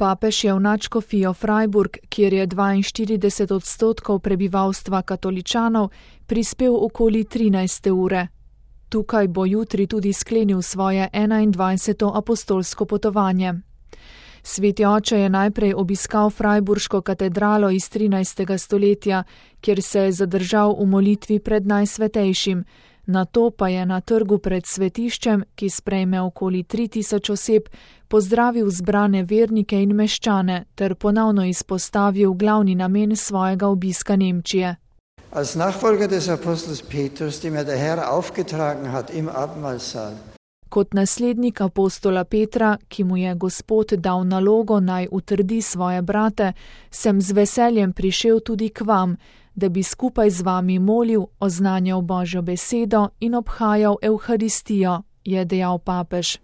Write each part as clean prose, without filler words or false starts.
Papež je v nadškofijo Freiburg, kjer je 42% prebivalstva katoličanov, prispel okoli 13. ure. Tukaj bo jutri tudi sklenil svoje 21. apostolsko potovanje. Sveti oče je najprej obiskal Freiburško katedralo iz 13. stoletja, kjer se je zadržal v molitvi pred Najsvetejšim, nato pa je na trgu pred svetiščem, ki sprejme okoli 3000 oseb, pozdravil zbrane vernike in meščane ter ponovno izpostavil glavni namen svojega obiska Nemčije. Als Nachfolger des Apostels Petrus, dem der Herr aufgetragen hat im Abendmahlsaal. Kot naslednik apostola Petra, ki mu je Gospod dal nalogo naj utrdi svoje brate, sem z veseljem prišel tudi k vam, da bi skupaj z vami molil, oznanjal Božjo besedo in obhajal Evharistijo, je dejal papež.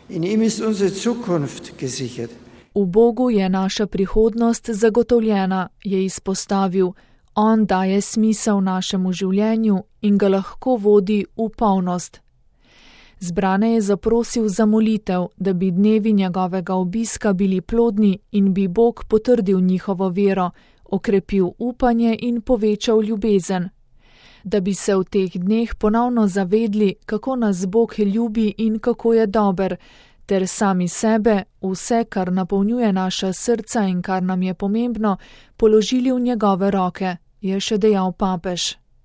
In ihm ist unsere Zukunft gesichert. V Bogu je naša prihodnost zagotovljena, je izpostavil. On daje smisel našemu življenju in ga lahko vodi v polnost. Zbrane je zaprosil za molitev, da bi dnevi njegovega obiska bili plodni in bi Bog potrdil njihovo vero, okrepil upanje in povečal ljubezen. Da bi se v teh dneh ponovno zavedli, kako nas Bog ljubi in kako je dober, ter sami sebe, vse, kar napolnjuje naša srca in kar nam je pomembno, položili v njegove roke, je še dejal papež.